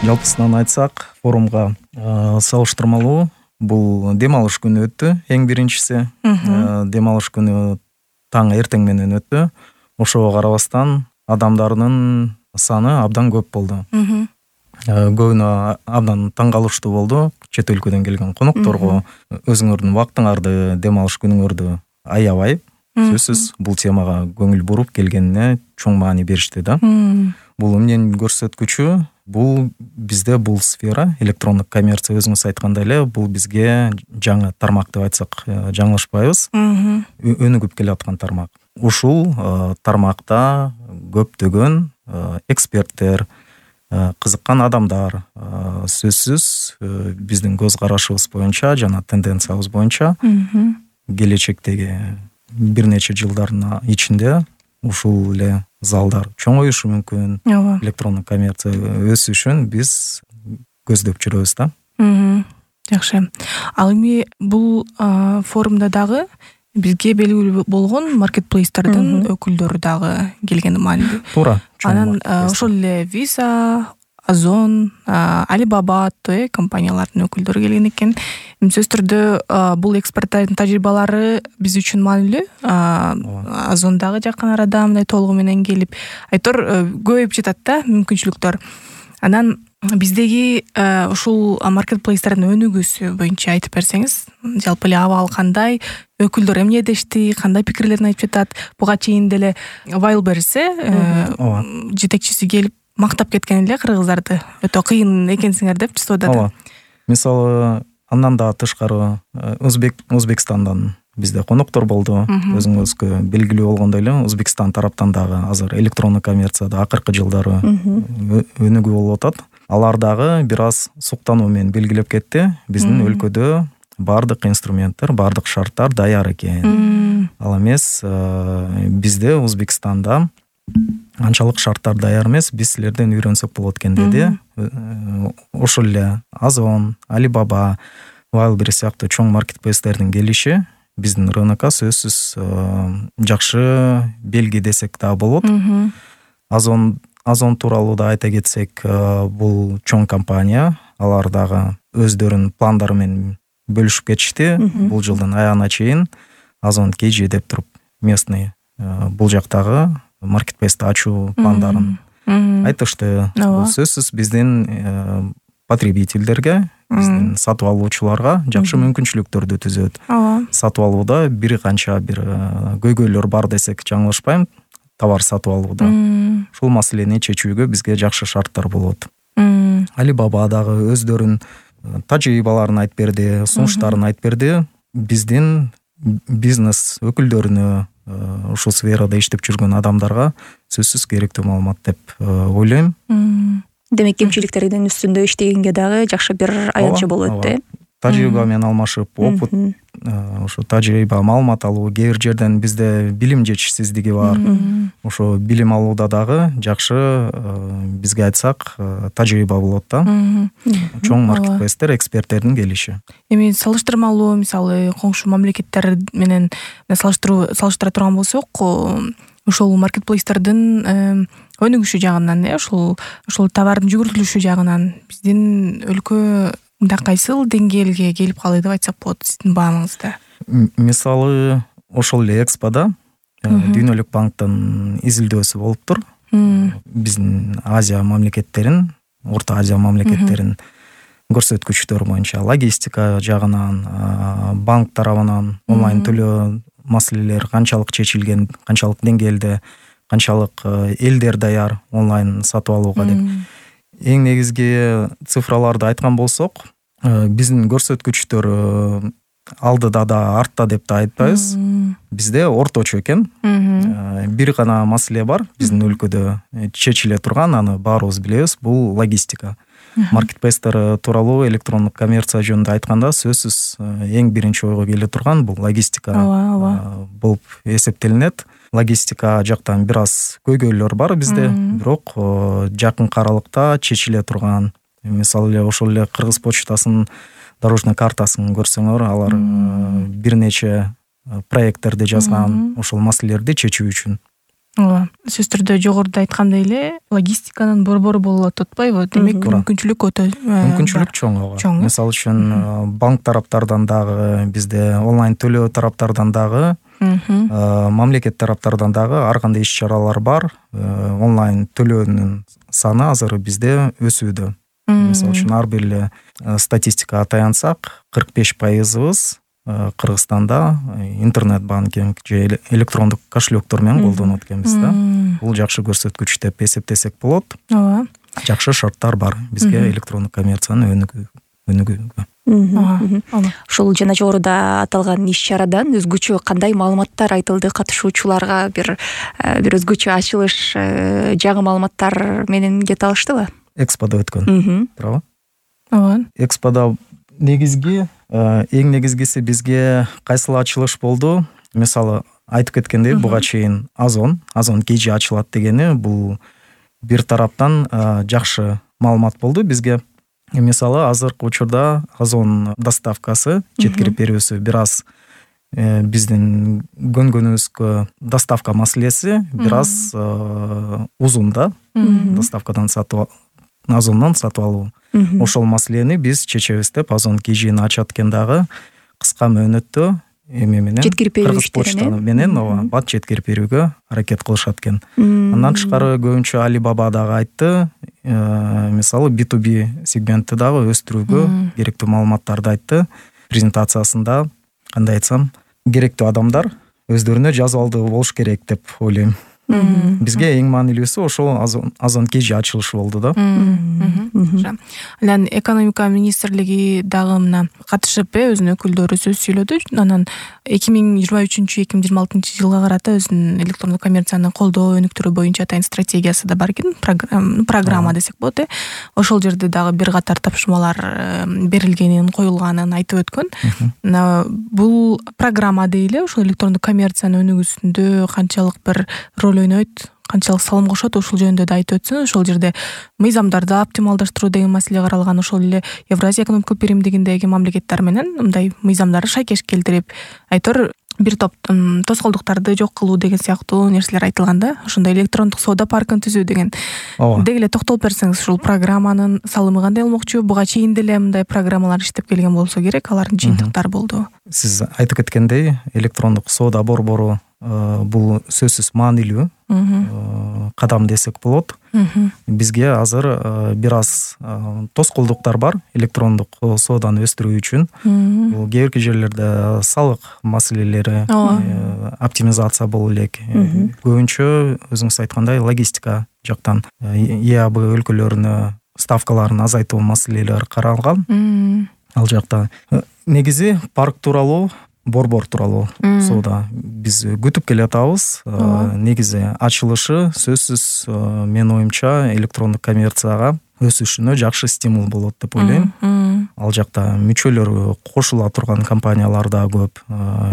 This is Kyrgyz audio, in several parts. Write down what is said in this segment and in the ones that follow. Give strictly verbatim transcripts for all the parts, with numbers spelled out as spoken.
Жалпысынан айтсак, форумга салыштырмалуу бул дем алыш күнү өттү. Эң биринчиси дем алыш күнү таң эртең менен өттү. Ошого карабастан адамдардын саны абдан көп болду. Көбүнө абдан таң калыштуу болду. Чет өлкөдөн келген конокторго өзүңөрдүн убактыңарды, дем алыш күнүңөрдү аябай, сөзсүз бул темага көңүл буруп келгенине чоң маани беришти да. Бул эмненин көрсөткүчү? Бул бизде бул сфера, электрондук коммерция өзүңүз айткандай эле, бул бизге жаңы тармак деп айтсак жаңылышпайбыз. Өнүгүп келаткан тармак. Ушул тармакта көптөгөн эксперттер, кызыккан адамдар, сөзсүз биздин көз карашыбыз боюнча жана тенденциябыз боюнча келечектеги бир нече жылдардын ичинде ушул эле залдар чоңоюшу мүмкүн. Электрондук коммерция өсүшүн биз көздөп жүрөбүз да. Жакшы. Ал эми бул форумда дагы бизге белгилүү болгон маркетплейстердин өкүлдөрү дагы келгени маанилүү. Туура. Анан ошол эле Visa, Озон, Alibaba аттуу компаниялардын өкүлдөрү келген экен. Сөзсүз түрдө бул эксперттардын тажрыйбалары биз үчүн маанилүү. Озон дагы жакын арада мындай толугу менен келип, айтор көбөйүп жатат да мүмкүнчүлүктөр. Анан биздеги ушул маркетплейстердин өнүгүүсү боюнча айтып берсеңиз, жалпы эле абал кандай, өкүлдөр эмне дешти, кандай пикирлерин айтып жатат? Буга чейин деле Wildberries жетекчиси келип мактап кеткен эле кыргыздарды. Өтө кыйын экенсиңер деп чыгып атат. Мисалы, андан да тышкары Өзбек Өзбекстандан бизде коноктор болду. Өзүңүзгө белгилүү болгондой эле Өзбекстан тараптан дагы азыр электрондук коммерцияда акыркы жылдары өнүгүү болуп атат. Алар дагы бир аз суктануу менен белгилеп кетти. Биздин өлкөдө бардык инструменттер, бардык шарттар даяр экен. Ал эмес, бизде Өзбекстанда анчалык шарттар даяр эмес, биз силерден үйрөнсөк болот экен деди. Ошол эле Озон, Alibaba, Wildberries сыяктуу чоң маркетплейстердин келиши биздин рынокко сөзсүз жакшы белги десек да болот. Озон Озон тууралуу да айта кетсек, бул чоң компания, алар дагы өздөрүнүн пландары менен бөлүшүп кетишти. Бул жылдын аягына чейин Озон кей же деп туруп местный бул жактагы маркетплейсти ачуу пландарын айтышты. Сөзсүз биздин потребительдерге, биздин сатып алуучуларга жакшы мүмкүнчүлүктөрдү түзөт. Сатып алууда бир канча бир көйгөйлөр бар десек жаңылышпайм, товар сатып алууда. Ушул маселени чечүүгө бизге жакшы шарттар болот. Alibaba дагы өздөрүнүн тажрыйбаларын айтып берди, сунуштарын айтып берди. Биздин бизнес өкүлдөрүнө, ушул сферада иштеп жүргөн адамдарга сөзсүз керектүү маалымат деп ойлойм. Демек, кемчиликтердин үстүндө иштегенге дагы жакшы бир аянтча болот да. Тажрыйба менен алмашып, опыт, ошо тажрыйба, маалымат алуу, кээ бир жерден бизде билим жетишсиздиги бар. Ошо билим алууда дагы жакшы, бизге айтсак, тажрыйба болот да. Чоң маркетплейстер, эксперттердин келиши. Эми салыштырмалуу, мисалы, коңшу мамлекеттер менен салыштыруу салыштыра турган болсок, ошол маркетплейстердин өнүгүшү жагынан, ошол ошол товардын жүгүртүлүшү жагынан биздин өлкө мындай кайсыл деңгээлге келип калды деп айтсак болот сиздин баамыңызда? Мисалы, ошол эле Экспода Дүйнөлүк банктын изилдөөсү болуптур. Биздин Азия мамлекеттерин, Орто Азия мамлекеттерин көрсөткүчтөр боюнча логистика жагынан, банк тарабынан онлайн төлөө маселелер канчалык чечилген, канчалык деңгээлде, канчалык элдер даяр онлайн сатып алууга деп. Эң негизги цифраларды айткан болсок, биздин көрсөткүчтөр алдыда да артта деп да айтпайбыз. Бизде орточо экен. Бир гана маселе бар биздин өлкөдө чечиле турган, аны баарыбыз билебиз, бул логистика. Маркетплейстер тууралуу электрондук коммерция жөнүндө айтканда сөзсүз эң биринчи ойго келе турган бул логистика болуп эсептелинет. Логистика жактан бир аз көйгөйлөр бар бизде, бирок жакын аралыкта чечиле турган. Мисалы эле ошол эле Кыргыз почтасынын дорожный картасын көрсөңөр, алар бир нече проекттерди жазган ошол маселелерди чечүү үчүн. ооба, сөзсүз түрдө жогоруда айткандай эле логистиканын борбору болуп атат атпайбы? Демек мүмкүнчүлүк өтө мүмкүнчүлүк чоң. ооба. Чоң. Мисалы үчүн банк тараптардан дагы, бизде онлайн төлөө тараптардан дагы, мамлекет тараптардан дагы ар кандай иш чаралар бар. Онлайн төлөөнүн саны азыр бизде өсүүдө. Мисалы үчүн ар бир эле статистикага таянсак, кырк беш пайызыбыз Кыргызстанда интернет банкинг же электрондук кошелектор менен колдонот экенбиз да. Бул жакшы көрсөткүч деп эсептесек болот. Ооба. Жакшы шарттар бар бизге электрондук коммерциянын өнүгүүгө. Ошол жана жогоруда аталган иш чарадан өзгөчө кандай маалыматтар айтылды? Катышуучуларга бир бир өзгөчө ачылыш жаңы маалыматтар менен кете алыштыбы? Эксподо өткөн. Туура. Ооба. Эксподо негизги эң негизгиси бизге кайсыл ачылыш болду? Мисалы айтып кеткендей, буга чейин Озон, Озон кежи ачылат дегени бул бир тараптан жакшы маалымат болду бизге. Мисалы азыркы учурда Озон доставкасы, жеткирип берүүсү бир аз биздин көнгөнүбүзгө доставка маселеси бир аз узун да. Доставкадан сатып Озондон сатып алуу. Ошол маселени биз чечебиз деп Озон кежини ачат экен дагы кыска мөөнөттө эме менен Кыргыз почта менен ооба бат жеткирип берүүгө аракет кылышат экен. Андан тышкары көбүнчө Alibaba дагы айтты. Мисалы би ту би сегментти дагы өстүрүүгө керектүү маалыматтарды айтты. Презентациясында кандай айтсам, керектүү адамдар өздөрүнө жазып алдуу болуш керек деп ойлойм. Бизге эң маанилүүсү ошол Озон кежи ачылышы болду да. Анан экономика министрлиги дагы мына катышып өзүнүн өкүлдөрү сөз сүйлөдү. Анан эки миң жыйырма үчүнчү эки миң жыйырма алтынчы жылга карата өзүнүн электрондук коммерцияны колдоо өнүктүрүү боюнча атайын стратегиясы да бар экен. Программа десек болот э. Ошол жерде дагы бир катар тапшырмалар берилгенин, коюлганын айтып өткөн. Бул программа дейли ошол электрондук коммерциянын өнүгүүсүндө канчалык бир роль ойнойт, канчалык салым кошот, ошол жөнүндө да айтып өтсүн. Ошол жерде мыйзамдарды оптималдаштыруу деген маселе каралган. Ошол эле Евразия экономикалык биримдигиндеги мамлекеттер менен мындай мыйзамдарды шайкеш келтирип, айтор бир топ тоскоолдуктарды жок кылуу деген сыяктуу нерселер айтылган да. Ошондой электрондук соода паркын түзүү деген. Деги эле токтолуп берсеңиз, ушул программанын салымы кандай болмокчу? Буга чейин деле мындай программалар иштеп келген болсо керек, алардын жыйынтыктары болду. Сиз айтып кеткендей, электрондук соода борбору бул сөзсүз маанилүү кадам десек болот. Бизге азыр бир аз тоскоолдуктар бар электрондук сооданы өстүрүү үчүн. Бул кээ бир жерлерде салык маселелери, оптимизация боло элек. Көбүнчө өзүңүз айткандай логистика жактан ЕАБ өлкөлөрүнө ставкаларын азайтуу маселелери каралган. Ал жакта негизи парк тууралуу, борбор тууралуу соода биз күтүп келе атабыз. Негизи ачылышы сөзсүз менин оюмча электрондук коммерцияга өсүшүнө жакшы стимул болот деп ойлойм. Ал жакта мүчөлөр кошула турган компаниялар да көп.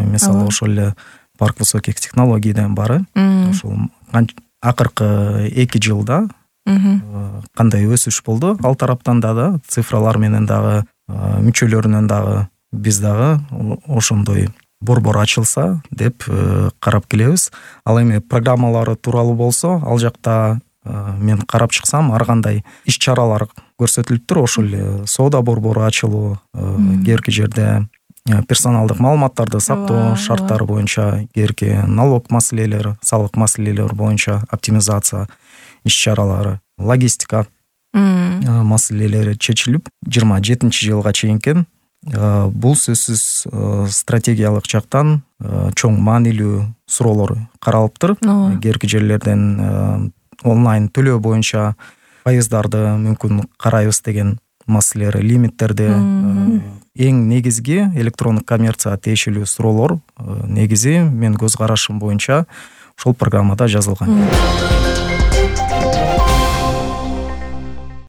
Мисалы ошол эле парк высоких технологийден бары. Ошол акыркы эки жылда кандай өсүш болду? Ал тараптан дагы цифралар менен дагы мүчөлөрүнөн дагы биз дагы ошондой борбор ачылса деп карап келебиз. Ал эми программалары тууралуу болсо, ал жакта мен карап чыксам ар кандай иш чаралар көрсөтүлүптүр. Ошол эле соода борбору ачылуу, кээ бир жерде персоналдык маалыматтарды сактоо шарттары боюнча, кээ бир налог маселелери, салык маселелери боюнча оптимизация иш чаралары, логистика маселелери чечилип, жыйырма жетинчи жылга чейинкен бул сөзсүз стратегиялык жактан чоң маанилүү суроолор каралыптыр. Кээ бир жерлерден онлайн төлөө боюнча пайыздарды мүмкүн карайбыз деген маселелер, лимиттерди. Эң негизги электрондук коммерцияга тиешелүү суроолор негизи мен көз карашым боюнча ошол программада жазылган.